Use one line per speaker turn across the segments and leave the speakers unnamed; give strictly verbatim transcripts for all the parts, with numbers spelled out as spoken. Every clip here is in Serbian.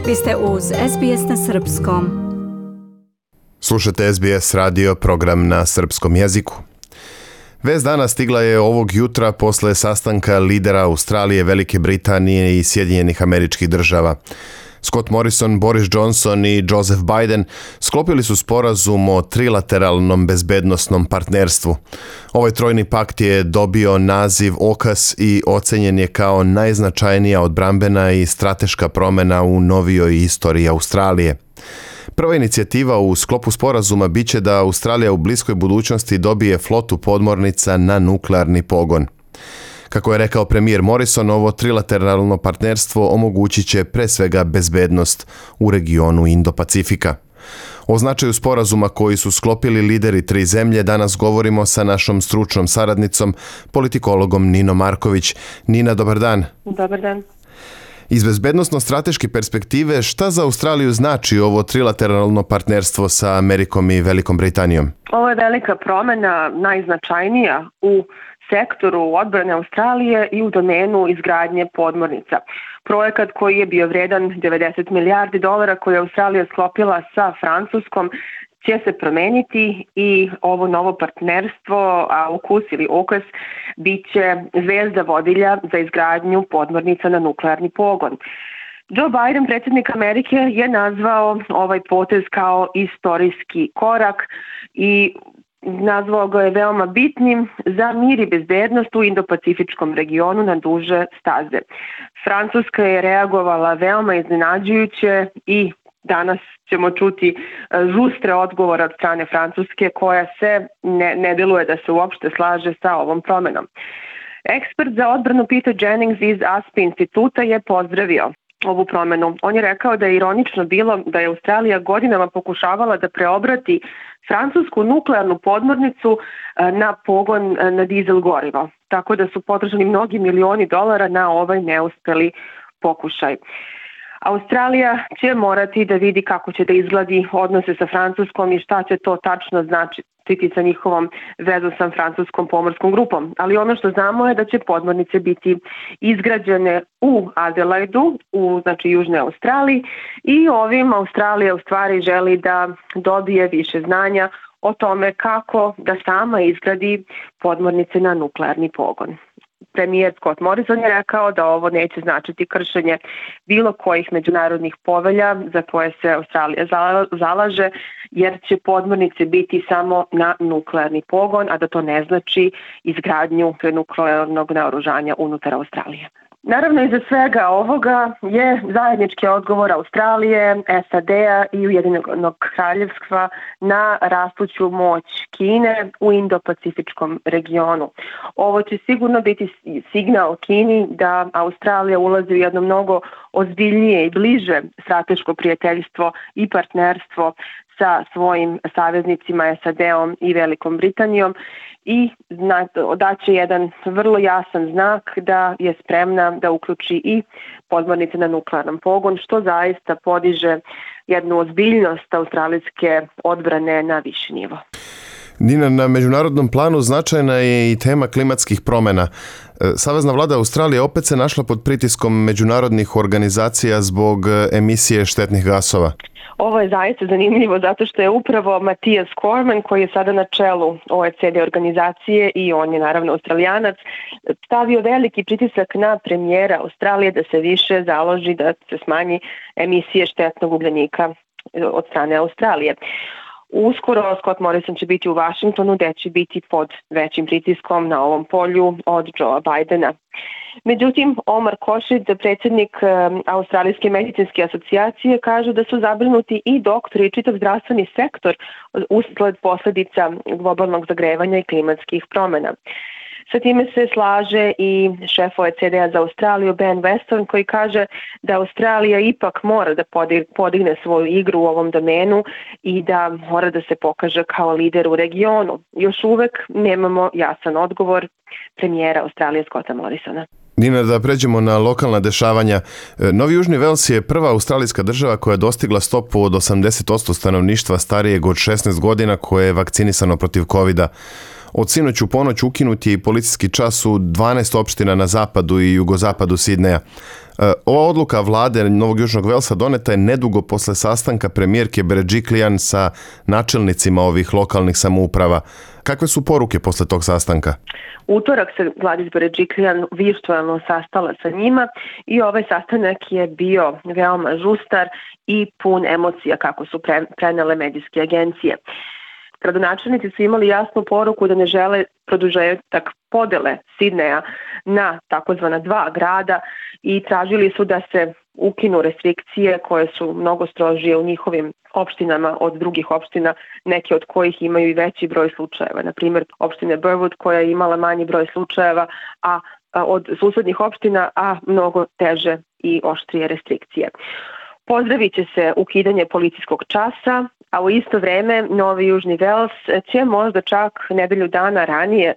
Vi ste uz S B S na srpskom.
Slušate S B S radio, program na srpskom jeziku. Vest dana stigla je ovog jutra posle sastanka lidera Australije, Velike Britanije i Sjedinjenih Američkih Država. Scott Morrison, Boris Johnson i Joseph Biden sklopili su sporazum o trilateralnom bezbednosnom partnerstvu. Ovaj trojni pakt je dobio naziv O K A S i ocenjen je kao najznačajnija odbrambena i strateška promjena u novijoj istoriji Australije. Prva inicijativa u sklopu sporazuma biće da Australija u bliskoj budućnosti dobije flotu podmornica na nuklearni pogon. Kako je rekao premijer Morrison, ovo trilateralno partnerstvo omogućit će pre svega bezbednost u regionu Indo-Pacifika. O značaju sporazuma koji su sklopili lideri tri zemlje danas govorimo sa našom stručnom saradnicom, politikologom Ninom Marković. Nina, dobar dan.
Dobar dan.
Iz bezbednosno-strateške perspektive, šta za Australiju znači ovo trilateralno partnerstvo sa Amerikom i Velikom Britanijom?
Ovo je velika promjena, najznačajnija u sektoru odbrane Australije i u domenu izgradnje podmornica. Projekat koji je bio vredan devedeset milijardi dolara koje je Australija sklopila sa Francuskom će se promeniti i ovo novo partnerstvo, A U K U S ili O K A S, bit će zvezda vodilja za izgradnju podmornica na nuklearni pogon. Joe Biden, predsjednik Amerike, je nazvao ovaj potez kao istorijski korak i nazvao ga je veoma bitnim za mir i bezbednost u Indo-Pacifičkom regionu na duže staze. Francuska je reagovala veoma iznenađujuće i danas ćemo čuti žustre odgovore od strane Francuske koja se ne, ne deluje da se uopšte slaže sa ovom promjenom. Ekspert za odbranu Peter Jennings iz A S P instituta je pozdravio ovu promjenu. On je rekao da je ironično bilo da je Australija godinama pokušavala da preobrati francusku nuklearnu podmornicu na pogon na dizel gorivo. Tako da su potrošeni mnogi milioni dolara na ovaj neuspeli pokušaj. Australija će morati da vidi kako će da izgledi odnose sa Francuskom i šta će to tačno značiti sa njihovom vezom sa francuskom pomorskom grupom. Ali ono što znamo je da će podmornice biti izgrađene u Adelaidu, u znači Južnoj Australiji, i ovim Australija u stvari želi da dobije više znanja o tome kako da sama izgradi podmornice na nuklearni pogon. Premijer Scott Morrison je rekao da ovo neće značiti kršenje bilo kojih međunarodnih povelja za koje se Australija zalaže, jer će podmornice biti samo na nuklearni pogon, a da to ne znači izgradnju nuklearnog naoružanja unutar Australije. Naravno, iza svega ovoga je zajednički odgovor Australije, S A D-a i Ujedinjenog kraljevstva na rastuću moć Kine u Indo-Pacifičkom regionu. Ovo će sigurno biti signal Kini da Australija ulazi u jedno mnogo ozbiljnije i bliže strateško prijateljstvo i partnerstvo sa svojim saveznicima S A D-om i Velikom Britanijom i daće jedan vrlo jasan znak da je spremna da uključi i podmornice na nuklearnom pogon, što zaista podiže jednu ozbiljnost australijske odbrane na viši nivo.
Nina, na međunarodnom planu značajna je i tema klimatskih promjena. Savezna vlada Australije opet se našla pod pritiskom međunarodnih organizacija zbog emisije štetnih gasova.
Ovo je zaista zanimljivo zato što je upravo Matthias Cormann, koji je sada na čelu O E C D organizacije i on je naravno Australijanac, stavio veliki pritisak na premijera Australije da se više založi da se smanji emisije štetnog ugljenika od strane Australije. Uskoro Scott Morrison će biti u Washingtonu gdje će biti pod većim pritiskom na ovom polju od Joea Bidena. Međutim, Omar Khorshid, predsjednik Australijske medicinske asocijacije, kaže da su zabrinuti i doktori i čitav zdravstveni sektor usled posljedica globalnog zagrevanja i klimatskih promjena. Sa time se slaže i šef O E C D-a za Australiju Ben Weston, koji kaže da Australija ipak mora da podigne svoju igru u ovom domenu i da mora da se pokaže kao lider u regionu. Još uvek nemamo jasan odgovor premijera Australije Scotta Morrisona.
Nina, da pređemo na lokalna dešavanja. Novi Južni Vels je prva australijska država koja je dostigla stopu od osamdeset posto stanovništva starijeg od šesnaest godina koje je vakcinisano protiv kovida. Od sinoć u ponoć ukinut je i policijski čas u dvanaest opština na zapadu i jugozapadu Sidneja. Ova odluka vlade Novog Južnog Velsa doneta je nedugo posle sastanka premijerke Berejiklian sa načelnicima ovih lokalnih samouprava. Kakve su poruke posle tog sastanka?
Utorak se Gladys Berejiklian virtualno sastala sa njima i ovaj sastanak je bio veoma žustar i pun emocija, kako su prenele medijske agencije. Gradonačelnici su imali jasnu poruku da ne žele produžetak podele Sidneja na takozvana dva grada i tražili su da se ukinu restrikcije koje su mnogo strožije u njihovim opštinama od drugih opština, neke od kojih imaju i veći broj slučajeva. Na primjer, opštine Burwood koja je imala manji broj slučajeva a, a od susednih opština, a mnogo teže i oštrije restrikcije. Pozdravit će se ukidanje policijskog časa, a u isto vreme Novi Južni Vels će možda čak nedelju dana ranije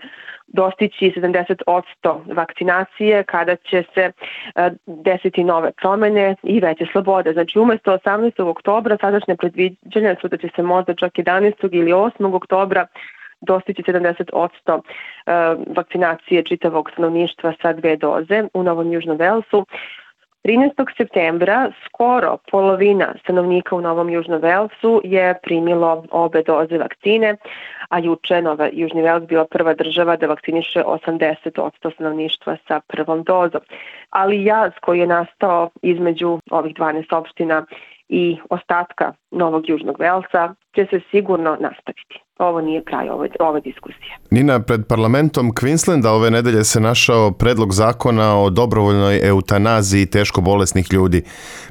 dostići sedamdeset posto vakcinacije kada će se desiti nove promene i veće slobode. Znači umjesto osamnaestog oktobra sadašnje predviđanja su da će se možda čak jedanaestog ili osmog oktobra dostići sedamdeset posto vakcinacije čitavog stanovništva sa dve doze u Novom Južnom Velsu. trinaestog septembra skoro polovina stanovnika u Novom Južnom Velsu je primilo obe doze vakcine, a juče Nova Južni Vels bila prva država da vakciniše osamdeset posto stanovništva sa prvom dozom. Ali jaz koji je nastao između ovih dvanaest opština i ostatka Novog Južnog Velsa će se sigurno nastaviti. Ovo nije kraj ove, ove diskusije.
Nina, pred parlamentom Queenslanda ove nedelje se našao predlog zakona o dobrovoljnoj eutanaziji teško bolesnih ljudi.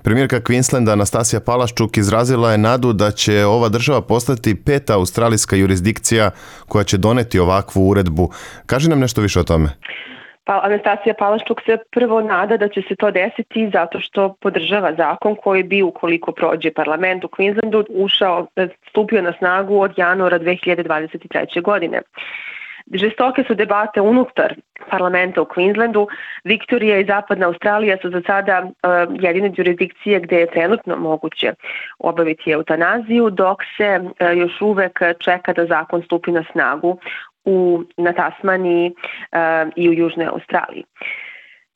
Premijerka Queenslanda Anastasija Palaščuk izrazila je nadu da će ova država postati peta australijska jurisdikcija koja će doneti ovakvu uredbu. Kaži nam nešto više o tome.
Pa Anastasija Palaščuk se prvo nada da će se to desiti zato što podržava zakon koji bi, ukoliko prođe parlament u Queenslandu, ušao, stupio na snagu od januara dve hiljade dvadeset treće. godine. Žestoke su debate unutar parlamenta u Queenslandu. Viktorija i Zapadna Australija su za sada uh, jedine jurisdikcije gde je trenutno moguće obaviti eutanaziju, dok se uh, još uvek čeka da zakon stupi na snagu u, na Tasmaniji uh, i u Južnoj Australiji.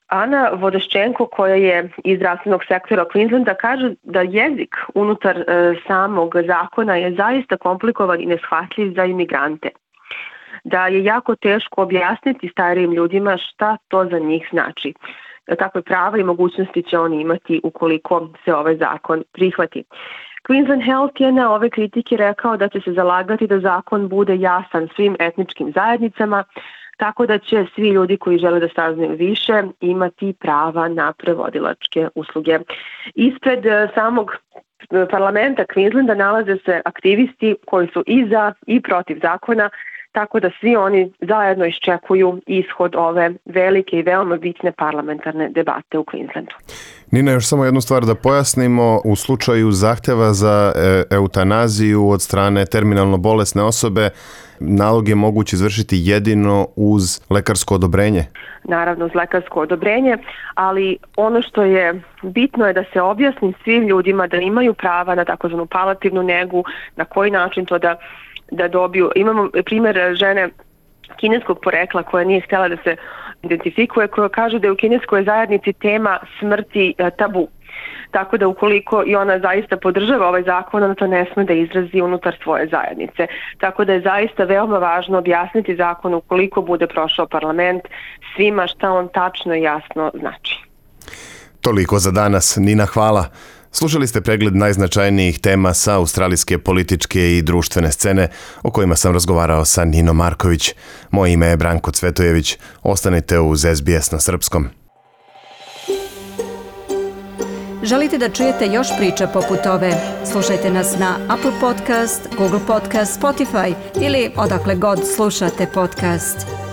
Ana Vodaščenko, koja je iz zdravstvenog sektora Queenslanda, kaže da jezik unutar uh, samog zakona je zaista komplikovan i neshvatljiv za imigrante. Da je jako teško objasniti starijim ljudima šta to za njih znači. Kakve prava i mogućnosti će oni imati ukoliko se ovaj zakon prihvati. Queensland Health je na ove kritike rekao da će se zalagati da zakon bude jasan svim etničkim zajednicama, tako da će svi ljudi koji žele da saznaju više imati prava na prevodilačke usluge. Ispred samog parlamenta Queenslanda nalaze se aktivisti koji su i za i protiv zakona, tako da svi oni zajedno iščekuju ishod ove velike i veoma bitne parlamentarne debate u Queenslandu.
Nina, još samo jednu stvar da pojasnimo. U slučaju zahteva za e, eutanaziju od strane terminalno bolesne osobe, nalog je moguće izvršiti jedino uz lekarsko odobrenje?
Naravno, uz lekarsko odobrenje, ali ono što je bitno je da se objasni svim ljudima da imaju prava na takozvanu palijativnu negu, na koji način to da da dobiju. Imamo primjer žene kineskog porekla koja nije htjela da se identifikuje, koja kaže da je u kineskoj zajednici tema smrti tabu. Tako da ukoliko i ona zaista podržava ovaj zakon, ona to ne sme da izrazi unutar svoje zajednice. Tako da je zaista veoma važno objasniti zakon ukoliko bude prošao parlament svima šta on tačno i jasno znači.
Toliko za danas. Nina, hvala. Slušali ste pregled najznačajnijih tema sa australijske političke i društvene scene o kojima sam razgovarao sa Ninom Marković. Moje ime je Branko Cvetojević. Ostanite uz S B S na srpskom.
Želite da čujete još priča poput ove? Slušajte nas na Apple Podcast, Google Podcast, Spotify ili odakle god slušate podcast.